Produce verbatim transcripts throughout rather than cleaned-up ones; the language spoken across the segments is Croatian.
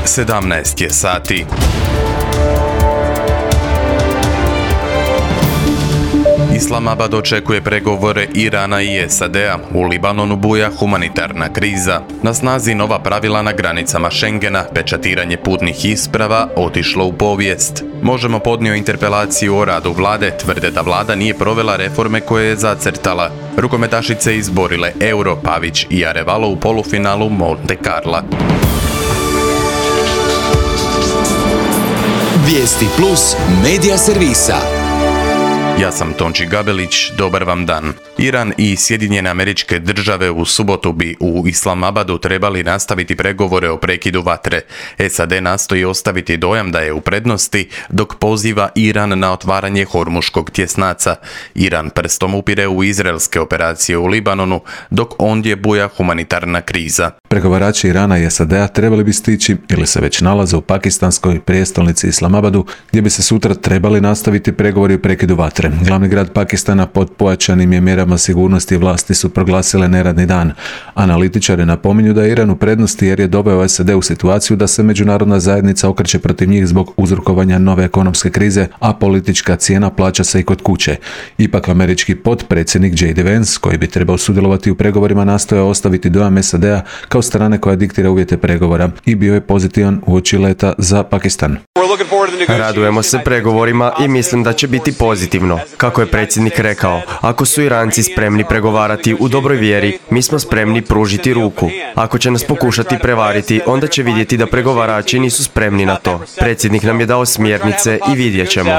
sedamnaest je sati. Islamabad očekuje pregovore Irana i S A D-a. U Libanonu buja humanitarna kriza. Na snazi nova pravila na granicama Schengena, pečatiranje putnih isprava otišlo u povijest. Možemo podnio interpelaciju o radu vlade, tvrde da vlada nije provela reforme koje je zacrtala. Rukometašice izborile Euro, Pavić i Arevalo u polufinalu Monte Carla. Vijesti plus medija servisa. Ja sam Tonči Gabelić, dobar vam dan. Iran i Sjedinjene Američke Države u subotu bi u Islamabadu trebali nastaviti pregovore o prekidu vatre. S A D nastoji ostaviti dojam da je u prednosti, dok poziva Iran na otvaranje Hormuškog tjesnaca. Iran prstom upire u izraelske operacije u Libanonu, dok ondje buja humanitarna kriza. Pregovarači Irana i S A D-a trebali bi stići ili se već nalaze u pakistanskoj prijestolnici Islamabadu, gdje bi se sutra trebali nastaviti pregovori o prekidu vatre. Glavni grad Pakistana pod pojačanim je mjerama sigurnosti vlasti su proglasile neradni dan. Analitičari napominju da je Iran u prednosti jer je doveo S A D u situaciju da se međunarodna zajednica okreće protiv njih zbog uzrokovanja nove ekonomske krize, a politička cijena plaća se i kod kuće. Ipak američki potpredsjednik J D Vance, koji bi trebao sudjelovati u pregovorima, nastoja ostaviti dojam S A D-a kao strane koja diktira uvjete pregovora i bio je pozitivan uoči leta za Pakistan. Radujemo se pregovorima i mislim da će biti pozitivno. Kako je predsjednik rekao, ako su Iranci spremni pregovarati u dobroj vjeri, mi smo spremni pružiti ruku. Ako će nas pokušati prevariti, onda će vidjeti da pregovarači nisu spremni na to. Predsjednik nam je dao smjernice i vidjet ćemo.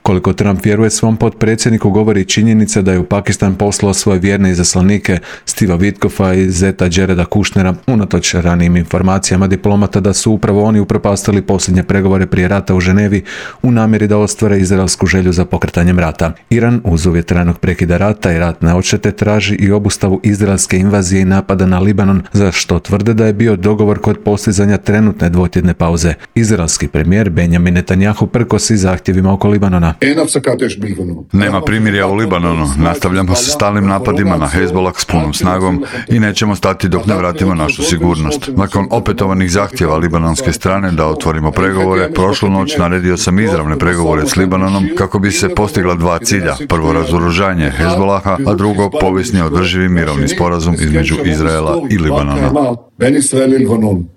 Koliko Trump vjeruje svom potpredsjedniku govori činjenica da je u Pakistan poslao svoje vjerne izaslanike Steva Witkoffa i zeta Jareda Kushnera, unatoč ranijim informacijama diplomata da su upravo oni upropastili posljednje pregovore prije rata u Ženevi u namjeri da ostvare izraelsku želju za pokretanjem rata. Iran uz uvjet trajnog prekida rata i ratne odštete traži i obustavu izraelske invazije i napada na Libanon, za što tvrde da je bio dogovor kod postizanja trenutne dvotjedne pauze. Izraelski premijer Benjamin Netanjahu prkosi zahtjevima oko Libanona. Nema primirja u Libanonu, nastavljamo sa stalnim napadima na Hezbollah s punom snagom i nećemo stati dok ne vratimo našu sigurnost. Nakon opetovanih zahtjeva libanonske strane da otvorimo pregovore, prošlu noć naredio sam izravne pregovore s Libanonom kako bi se postigla dva cilja. Prvo, razoružanje Hezbollaha, a drugo, povijesni održivi mirovni sporazum između Izraela i Libanona.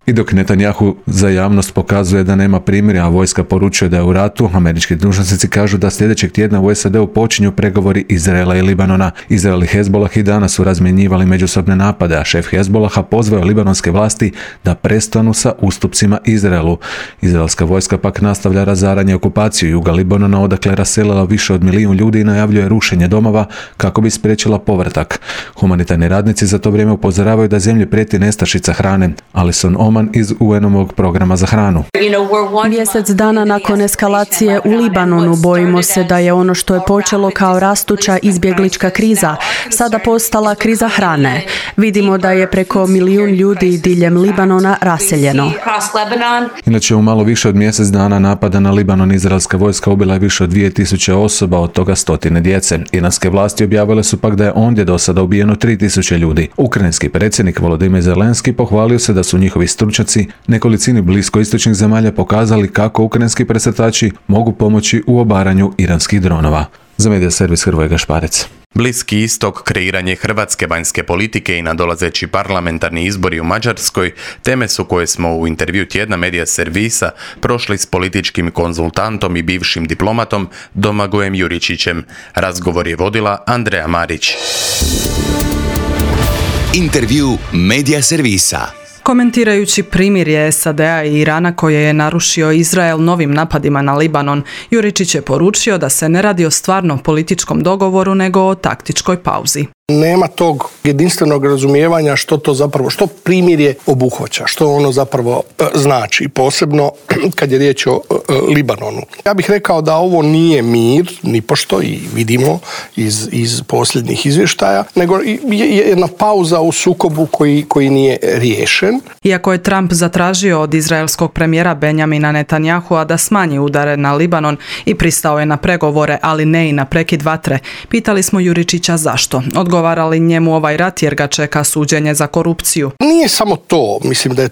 I dok Netanjahu za javnost pokazuje da nema primirja, a vojska poručuje da je u ratu, američki dužnosnici kažu da sljedećeg tjedna u S A D-u počinju pregovori Izraela i Libanona. Izrael i Hezbollah i danas su razmjenjivali međusobne napade, a šef Hezbollaha pozvao je libanonske vlasti da prestanu sa ustupcima Izraelu. Izraelska vojska pak nastavlja razaranje i okupaciju juga Libanona, odakle je raselila više od milijun ljudi i najavljuje rušenje domova kako bi spriječila povratak. Humanitarni radnici za to vrijeme upozoravaju da zemlji prijeti nestašica hrane. Alison Oman iz U N-ovog programa za hranu. Mjesec dana nakon eskalacije u Libanonu bojimo se da je ono što je počelo kao rastuća izbjeglička kriza sada postala kriza hrane. Vidimo da je preko milijun ljudi diljem Libanona raseljeno. Inače, u malo više od mjesec dana napada na Libanon izraelska vojska ubila je više od dvije tisuće osoba, od toga stotine djece. Iranske vlasti objavile su pak da je ondje do sada ubijeno tri tisuće ljudi. Ukrajinski predsjednik Volodymyr Zelenski pohvalio se da su njihovi stručnjaci nekolicini bliskoistočnih zemalja pokazali kako ukrajinski presretači mogu pomoći u obaranju iranskih dronova. Za medija servis Hrvoje Gašparec. Bliski istok, kreiranje hrvatske vanjske politike i nadolazeći parlamentarni izbori u Mađarskoj teme su koje smo u intervju tjedna medija servisa prošli s političkim konzultantom i bivšim diplomatom Domagojem Juričićem. Razgovor je vodila Andreja Marić. Intervju medija servisa. Komentirajući primirje S A D-a i Irana koje je narušio Izrael novim napadima na Libanon, Juričić je poručio da se ne radi o stvarnom političkom dogovoru nego o taktičkoj pauzi. Nema tog jedinstvenog razumijevanja što to zapravo, što primirje obuhvaća, što ono zapravo e, znači, posebno kad je riječ o e, Libanonu. Ja bih rekao da ovo nije mir, nipošto, i vidimo iz, iz posljednjih izvještaja, nego je jedna pauza u sukobu koji, koji nije riješen. Iako je Trump zatražio od izraelskog premijera Benjamina Netanjahua da smanji udare na Libanon i pristao je na pregovore, ali ne i na prekid vatre, pitali smo Juričića zašto. Odgovorio Odgovara li njemu ovaj rat jer ga čeka suđenje za korupciju? Nije samo to. Mislim da je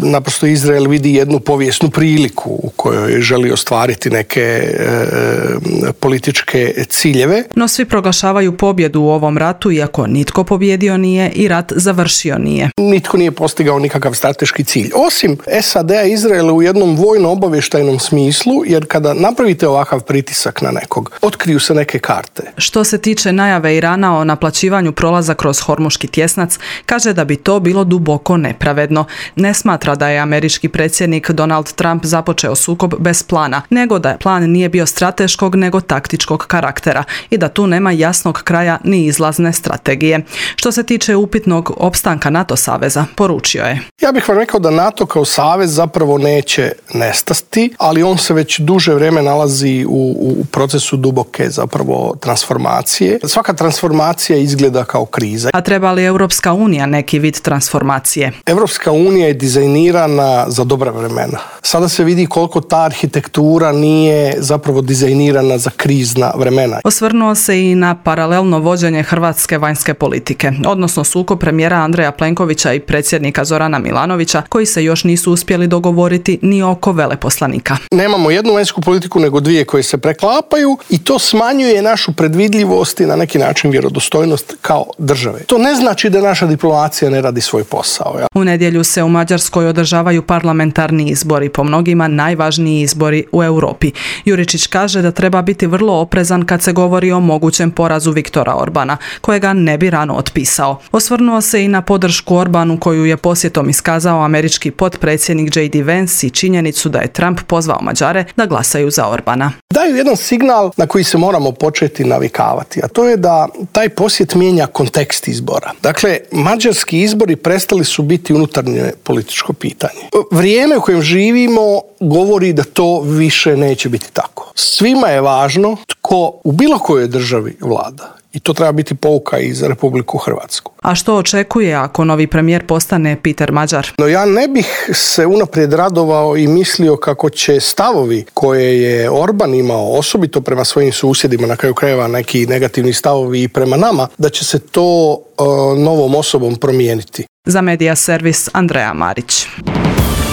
naprosto Izrael vidi jednu povijesnu priliku u kojoj želi ostvariti neke e, političke ciljeve. No svi proglašavaju pobjedu u ovom ratu, iako nitko pobjedio nije i rat završio nije. Nitko nije postigao nikakav strateški cilj. Osim S A D-a i Izraela u jednom vojno-obavještajnom smislu, jer kada napravite ovakav pritisak na nekog, otkriju se neke karte. Što se tiče najave Irana o naplaćivanju prolaza kroz Hormuški tjesnac, kaže da bi to bilo duboko nepravedno. Ne smatra da je američki predsjednik Donald Trump započeo sukob bez plana, nego da plan nije bio strateškog nego taktičkog karaktera i da tu nema jasnog kraja ni izlazne strategije. Što se tiče upitnog opstanka NATO saveza, poručio je: Ja bih vam rekao da NATO kao savez zapravo neće nestati, ali on se već duže vrijeme nalazi u, u procesu duboke zapravo transformacije. Svaka transformacija izgleda kao kriza. A treba li Europska unija neki vid transformacije? Europska unija je dizajnirana za dobra vremena. Sada se vidi koliko ta arhitektura nije zapravo dizajnirana za krizna vremena. Osvrnuo se i na paralelno vođenje hrvatske vanjske politike, odnosno sukob premijera Andreja Plenkovića i predsjednika Zorana Milanovića, koji se još nisu uspjeli dogovoriti ni oko veleposlanika. Nemamo jednu vanjsku politiku, nego dvije koje se preklapaju i to smanjuje našu predvidljivost i na neki način vjerodostojnost kao države. To ne znači da naša diplomacija ne radi svoj posao. Ja. U nedjelju se u Mađarskoj održavaju parlamentarni izbori, po mnogima najvažniji izbori u Europi. Juričić kaže da treba biti vrlo oprezan kad se govori o mogućem porazu Viktora Orbana, kojega ne bi rano otpisao. Osvrnuo se i na podršku Orbanu koju je posjetom iskazao američki potpredsjednik J D Vance i činjenicu da je Trump pozvao Mađare da glasaju za Orbana. Daju jedan signal na koji se moramo početi navikavati, a to je da taj posjet mijenja kontekst izbora. Dakle, mađarski izbori prestali su biti unutarnje političko pitanje. Vrijeme u kojem živimo govori da to više neće biti tako. Svima je važno tko u bilo kojoj državi vlada. I to treba biti pouka i za Republiku Hrvatsku. A što očekuje ako novi premijer postane Peter Mađar? No ja ne bih se unaprijed radovao i mislio kako će stavovi koje je Orban imao, osobito prema svojim susjedima, na kraju krajeva neki negativni stavovi i prema nama, da će se to uh, novom osobom promijeniti. Za Medija servis Andreja Marić.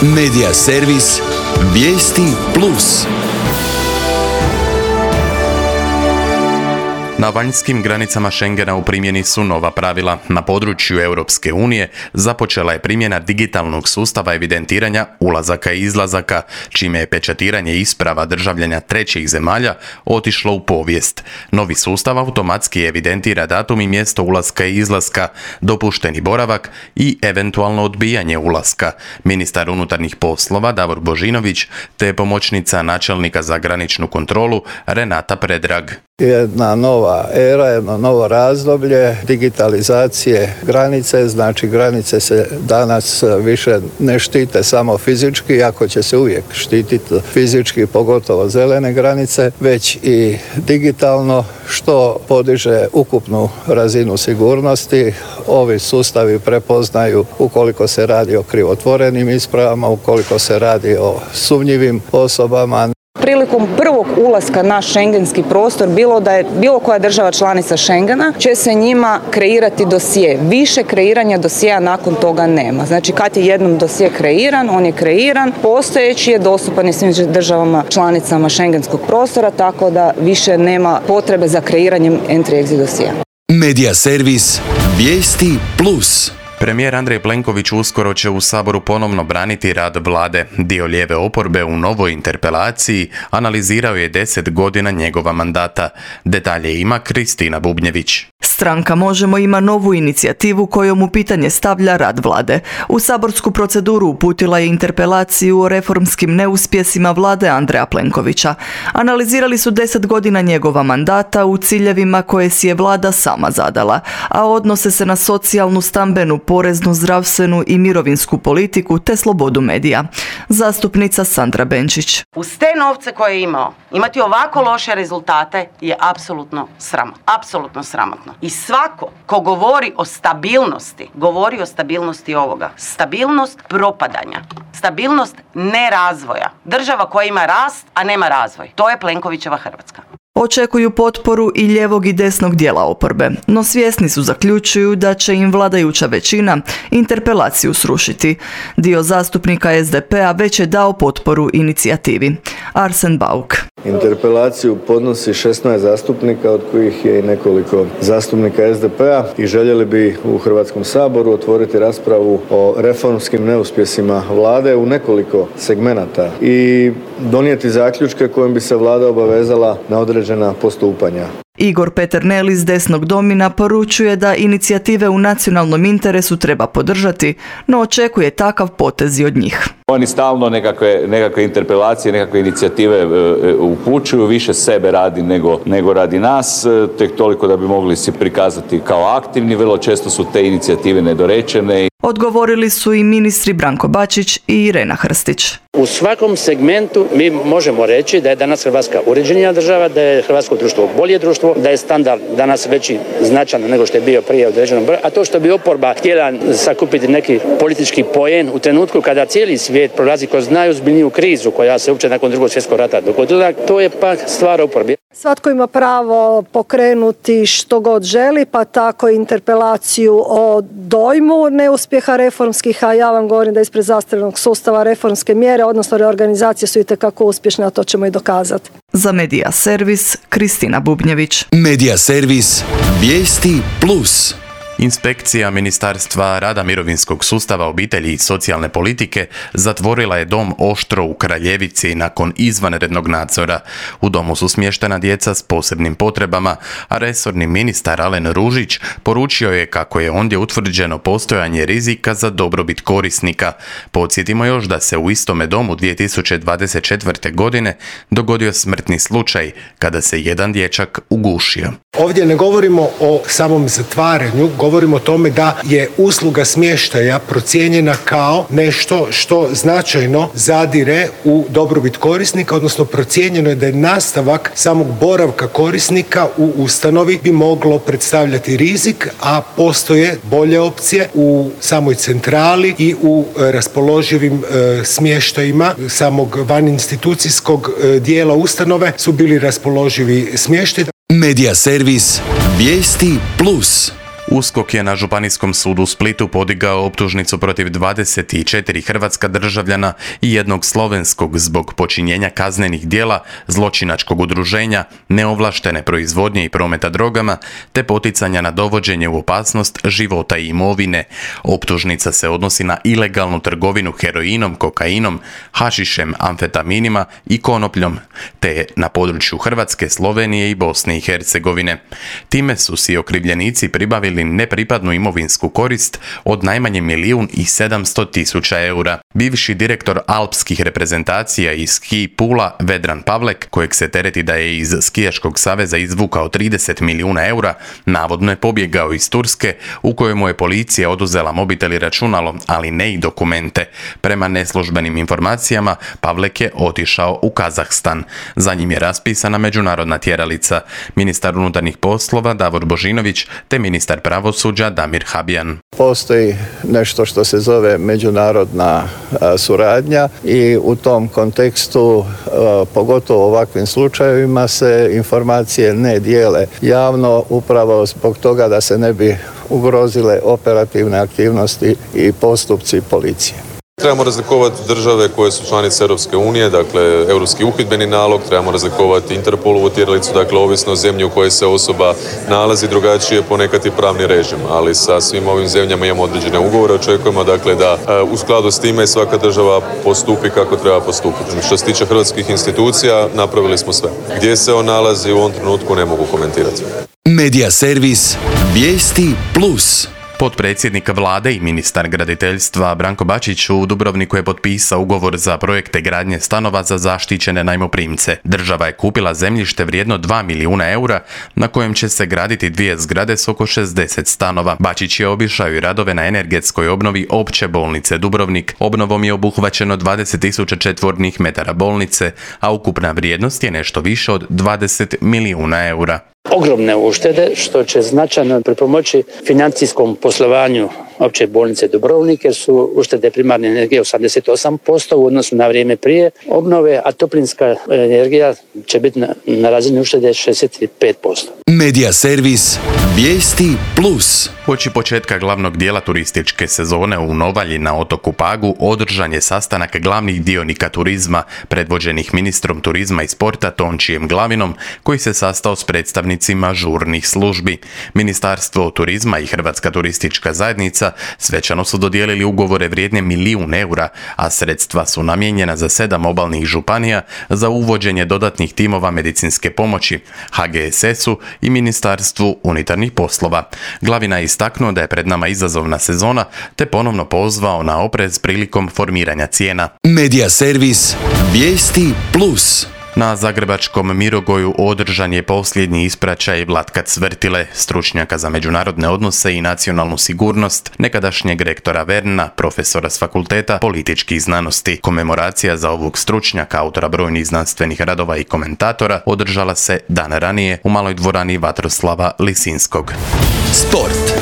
Medija servis Vijesti plus. Na vanjskim granicama Schengena u primjeni su nova pravila. Na području Europske unije započela je primjena digitalnog sustava evidentiranja ulazaka i izlazaka, čime je pečatiranje isprava državljana trećih zemalja otišlo u povijest. Novi sustav automatski evidentira datum i mjesto ulaska i izlaska, dopušteni boravak i eventualno odbijanje ulaska. Ministar unutarnjih poslova Davor Božinović te pomoćnica načelnika za graničnu kontrolu Renata Predrag. Jedna nova era, jedno novo razdoblje digitalizacije granice, znači granice se danas više ne štite samo fizički, iako će se uvijek štititi fizički, pogotovo zelene granice, već i digitalno, što podiže ukupnu razinu sigurnosti. Ovi sustavi prepoznaju ukoliko se radi o krivotvorenim ispravama, ukoliko se radi o sumnjivim osobama. Prilikom prvog ulaska na šengenski prostor, bilo da je bilo koja država članica Schengena, će se njima kreirati dosje. Više kreiranja dosjea nakon toga nema. Znači kad je jednom dosje kreiran, on je kreiran, postojeći je dostupan i svim državama članicama šengenskog prostora, tako da više nema potrebe za kreiranjem entry-exit dosjea. Medija servis Vijesti plus. Premijer Andrej Plenković uskoro će u Saboru ponovno braniti rad vlade. Dio lijeve oporbe u novoj interpelaciji analizirao je deset godina njegova mandata. Detalje ima Kristina Bubnjević. Stranka Možemo ima novu inicijativu kojom u pitanje stavlja rad vlade. U saborsku proceduru uputila je interpelaciju o reformskim neuspjesima vlade Andreja Plenkovića. Analizirali su deset godina njegova mandata u ciljevima koje si je vlada sama zadala, a odnose se na socijalnu, stambenu, poreznu, zdravstvenu i mirovinsku politiku te slobodu medija. Zastupnica Sandra Benčić. Uz te novce koje je imao, imati ovako loše rezultate je apsolutno sramotno. Apsolutno sramotno. I svako ko govori o stabilnosti, govori o stabilnosti ovoga. Stabilnost propadanja. Stabilnost nerazvoja. Država koja ima rast, a nema razvoj. To je Plenkovićeva Hrvatska. Očekuju potporu i ljevog i desnog dijela oporbe, no svjesni su, zaključuju, da će im vladajuća većina interpelaciju srušiti. Dio zastupnika es de pe a već je dao potporu inicijativi. Arsen Bauk. Interpelaciju podnosi šesnaest zastupnika, od kojih je i nekoliko zastupnika es de pe a, i željeli bi u Hrvatskom saboru otvoriti raspravu o reformskim neuspjesima vlade u nekoliko segmenata i donijeti zaključke kojim bi se vlada obavezala na određena postupanja. Igor Peternel iz desnog domina poručuje da inicijative u nacionalnom interesu treba podržati, no očekuje takav potez i od njih. Oni stalno nekakve, nekakve interpelacije, nekakve inicijative e, upućuju, više sebe radi nego, nego radi nas, e, tek toliko da bi mogli se prikazati kao aktivni. Vrlo često su te inicijative nedorečene. Odgovorili su i ministri Branko Bačić i Irena Hrstić. U svakom segmentu mi možemo reći da je danas Hrvatska uređenija država, da je hrvatsko društvo bolje društvo, da je standard danas veći značajno nego što je bio prije određenom broju, a to što bi oporba htjela sakupiti neki politički poen u trenutku kada cijeli svijet prolazi kroz najozbiljniju krizu koja se uopće nakon drugog svjetskog rata dogodila, to je pak stvar oporbe. Svatko ima pravo pokrenuti što god želi, pa tako i interpelaciju o dojmu neuspjeha reformskih, a ja vam govorim da ispred zastarjelog sustava reformske mjere, odnosno reorganizacije, su itekako uspješne, a to ćemo i dokazati. Za Medija Servis, Kristina Bubnjević. Medija Servis, vijesti plus. Inspekcija Ministarstva rada, mirovinskog sustava, obitelji i socijalne politike zatvorila je dom Oštro u Kraljevici nakon izvanrednog nadzora. U domu su smještena djeca s posebnim potrebama, a resorni ministar Alen Ružić poručio je kako je ondje utvrđeno postojanje rizika za dobrobit korisnika. Podsjetimo još da se u istome domu dvije tisuće dvadeset četvrte. godine dogodio smrtni slučaj kada se jedan dječak ugušio. Ovdje ne govorimo o samom zatvaranju, govorimo o tome da je usluga smještaja procijenjena kao nešto što značajno zadire u dobrobit korisnika, odnosno procijenjeno je da je nastavak samog boravka korisnika u ustanovi bi moglo predstavljati rizik, a postoje bolje opcije u samoj centrali i u raspoloživim e, smještajima samog vaninstitucijskog e, dijela ustanove su bili raspoloživi smještaj. Medija Servis, vijesti plus. USKOK je na Županijskom sudu u Splitu podigao optužnicu protiv dvadeset četiri hrvatska državljana i jednog slovenskog zbog počinjenja kaznenih djela, zločinačkog udruženja, neovlaštene proizvodnje i prometa drogama, te poticanja na dovođenje u opasnost života i imovine. Optužnica se odnosi na ilegalnu trgovinu heroinom, kokainom, hašišem, amfetaminima i konopljom, te na području Hrvatske, Slovenije i Bosne i Hercegovine. Time su si okrivljenici pribavili nepripadnu imovinsku korist od najmanje milijun i sedamsto tisuća eura. Bivši direktor alpskih reprezentacija iz Ski Pula, Vedran Pavlek, kojeg se tereti da je iz Skijaškog saveza izvukao trideset milijuna eura, navodno je pobjegao iz Turske, u kojemu je policija oduzela mobitel i računalo, ali ne i dokumente. Prema neslužbenim informacijama, Pavlek je otišao u Kazahstan. Za njim je raspisana međunarodna tjeralica. Ministar unutarnjih poslova Davor Božinović te ministar pravosuđa Damir Habjan. Postoji nešto što se zove međunarodna a, suradnja i u tom kontekstu, a, pogotovo u ovakvim slučajevima, se informacije ne dijele javno upravo zbog toga da se ne bi ugrozile operativne aktivnosti i postupci policije. Trebamo razlikovati države koje su članice Europske unije, dakle Europski uhidbeni nalog, trebamo razlikovati Interpolovu tjeralicu, dakle ovisno o zemlji u kojoj se osoba nalazi, drugačije ponekad i pravni režim, ali sa svim ovim zemljama imamo određene ugovore, očekujemo dakle da u skladu s time svaka država postupi kako treba postupiti. Što se tiče hrvatskih institucija, napravili smo sve. Gdje se on nalazi u ovom trenutku ne mogu komentirati. Medija Servis, vijesti plus. Potpredsjednik vlade i ministar graditeljstva Branko Bačić u Dubrovniku je potpisao ugovor za projekte gradnje stanova za zaštićene najmoprimce. Država je kupila zemljište vrijedno dva milijuna eura na kojem će se graditi dvije zgrade s oko šezdeset stanova. Bačić je obišao i radove na energetskoj obnovi opće bolnice Dubrovnik. Obnovom je obuhvaćeno dvadeset tisuća četvornih metara bolnice, a ukupna vrijednost je nešto više od dvadeset milijuna eura. Ogromne uštede što će značajno pripomoći financijskom poslovanju opće bolnice Dubrovnik jer su uštede primarne energije osamdeset osam posto u odnosu na vrijeme prije obnove, a toplinska energija će biti na, na razini uštede šezdeset pet posto. Medija servis Vijesti plus. Uoči početka glavnog dijela turističke sezone u Novalji na otoku Pagu održan je sastanak glavnih dionika turizma predvođenih ministrom turizma i sporta Tončijem Glavinom, koji se sastao s predstavnicima žurnih službi. Ministarstvo turizma i Hrvatska turistička zajednica svečano su dodijelili ugovore vrijedne milijun eura, a sredstva su namijenjena za sedam obalnih županija za uvođenje dodatnih timova medicinske pomoći, H G S S-u i Ministarstvu unutarnjih poslova. Glavina je istaknuo da je pred nama izazovna sezona, te ponovno pozvao na oprez prilikom formiranja cijena. Medija servis Vijesti plus. Na zagrebačkom Mirogoju održan je posljednji ispraćaj Vlatka Cvrtile, stručnjaka za međunarodne odnose i nacionalnu sigurnost, nekadašnjeg rektora Verna, profesora s fakulteta političkih znanosti. Komemoracija za ovog stručnjaka, autora brojnih znanstvenih radova i komentatora, održala se dan ranije u maloj dvorani Vatroslava Lisinskog. Sport.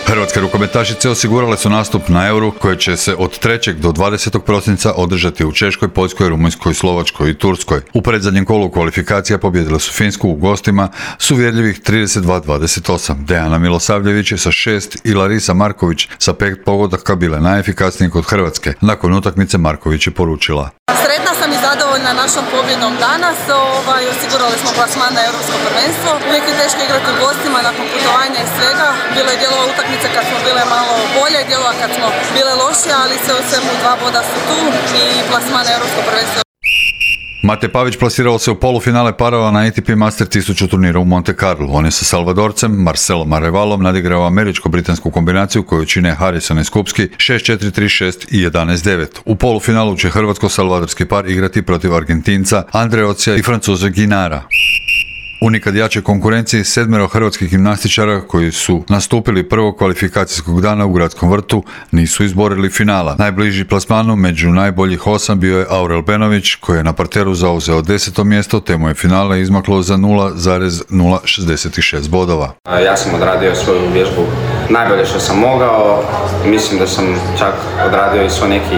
Hrvatske rukometašice osigurale su nastup na Euru koje će se od trećeg do dvadesetog prosinca održati u Češkoj, Poljskoj, Rumunjskoj, Slovačkoj i Turskoj. U predzadnjem kolu kvalifikacija pobijedile su Finsku u gostima s uvjerljivih trideset dva dvadeset osam. Dejana Milosavljević je sa šest i Larisa Marković sa pet pogodaka bile najefikasnije kod Hrvatske. Nakon utakmice Marković je poručila: Sretna sam i zadovoljna našom pobjedom danas. Ovaj, osigurali smo plasman na Europsko prvenstvo. Uvijek je teško igrati u gostima nakon putovanja i svega. Bilo je dijelova utakmice kad smo bile malo bolje, dijelova kad smo bile lošije, ali sve u svemu dva boda su tu i plasman na Europsko prvenstvo. Mate Pavić plasirao se u polufinale parova na A T P Master tisuću turnira u Monte Carlo. On je sa Salvadorcem Marcelom Arevalom nadigrao američko-britansku kombinaciju koju čine Harrison i Skupski šest četiri tri šest i jedanaest devet. U polufinalu će hrvatsko-salvadorski par igrati protiv Argentinca Andreocija i Francuza Ginara. U nikad jačoj konkurenciji sedmero hrvatskih gimnastičara koji su nastupili prvog kvalifikacijskog dana u Gradskom vrtu nisu izborili finala. Najbliži plasmanu među najboljih osam bio je Aurel Benović koji je na parteru zauzeo deseto mjesto te mu je finale izmaklo za nula zarez nula šezdeset šest bodova. Ja sam odradio svoju vježbu najbolje što sam mogao. Mislim da sam čak odradio i svoj neki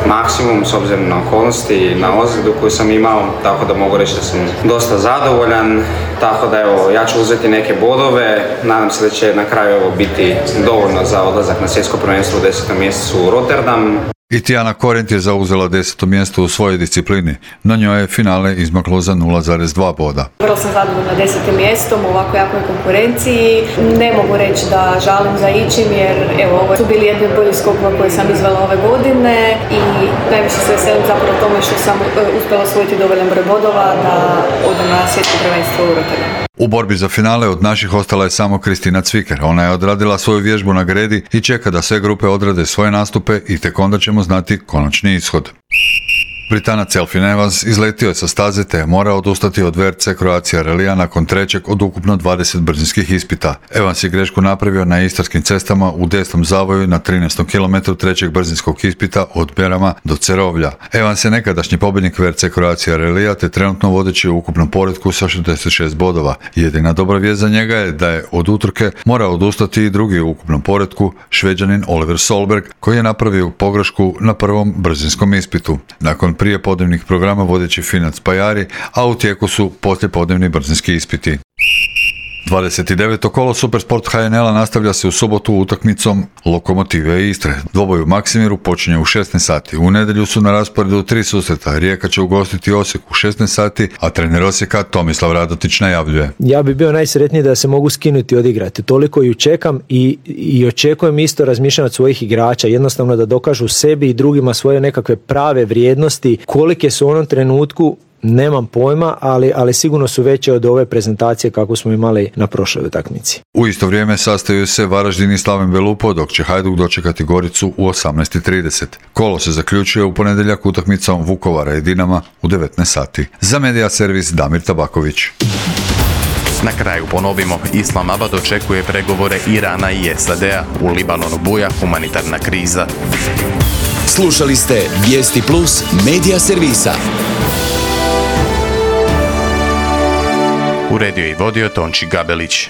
maksimum s obzirom na okolnosti i na ozljedu koju sam imao, tako da mogu reći da sam dosta zadovoljan. Tako da evo, ja ću uzeti neke bodove, nadam se da će na kraju ovo biti dovoljno za odlazak na svjetsko prvenstvo u desetom mjesecu u Rotterdam. I Tijana Korent je zauzela deseto mjesto u svojoj disciplini. Na njoj je finale izmaklo za nula zarez dva boda. Vrlo sam zadovoljna desetim mjestom u ovako jakoj konkurenciji. Ne mogu reći da žalim za ičim jer evo, ovo su bili jedni od boljih skokova koje sam izvela ove godine i najviše se veselim zapravo tome što sam uspjela osvojiti dovoljan broj bodova da odem na svjetsko prvenstvo u Rotterdamu. U borbi za finale od naših ostala je samo Kristina Cviker. Ona je odradila svoju vježbu na gredi i čeka da sve grupe odrade svoje nastupe i tek onda ćemo znati konačni ishod. Britanac Elfyn Evans izletio je sa staze te je morao odustati od V R C Croatia Rallija nakon trećeg od ukupno dvadeset brzinskih ispita. Evans je grešku napravio na istarskim cestama u desnom zavoju na trinaestom kilometru trećeg brzinskog ispita od Berama do Cerovlja. Evans je nekadašnji pobjednik V R C Croatia Rallija te trenutno vodeći u ukupnom poretku sa šezdeset šest bodova. Jedina dobra vijest za njega je da je od utrke morao odustati i drugi u ukupnom poretku, Šveđanin Oliver Solberg, koji je napravio pogrešku na prvom brzinskom ispitu. Nakon prije podnevnih programa vodeći Finac Pajari, a u tijeku su poslijepodnevni brzinski ispiti. dvadeset deveto kolo Supersport H N L-a nastavlja se u subotu utakmicom Lokomotive Istre. Dvoboj u Maksimiru počinje u šesnaest sati. U nedjelju su na rasporedu tri susreta. Rijeka će ugostiti Osijek u šesnaest sati, a trener Osijeka Tomislav Radotić najavljuje: ja bi bio najsretniji da se mogu skinuti i odigrati. Toliko ju čekam i, i očekujem isto razmišljanje od svojih igrača. Jednostavno da dokažu sebi i drugima svoje nekakve prave vrijednosti. Kolike su u onom trenutku nemam pojma, ali, ali sigurno su veće od ove prezentacije kako smo imali na prošloj utakmici. U isto vrijeme sastaju se Varaždin i Slaven Belupo, dok će Hajduk dočekati Goricu u osamnaest i trideset. Kolo se zaključuje u ponedjeljak utakmicom Vukovara i Dinama u devetnaest sati. Za Medija servis Damir Tabaković. Na kraju ponovimo, Islamabad očekuje pregovore Irana i S A D-a. U Libanonu buja humanitarna kriza. Slušali ste Vijesti plus Medija servisa. Uredio i vodio Tonči Gabelić.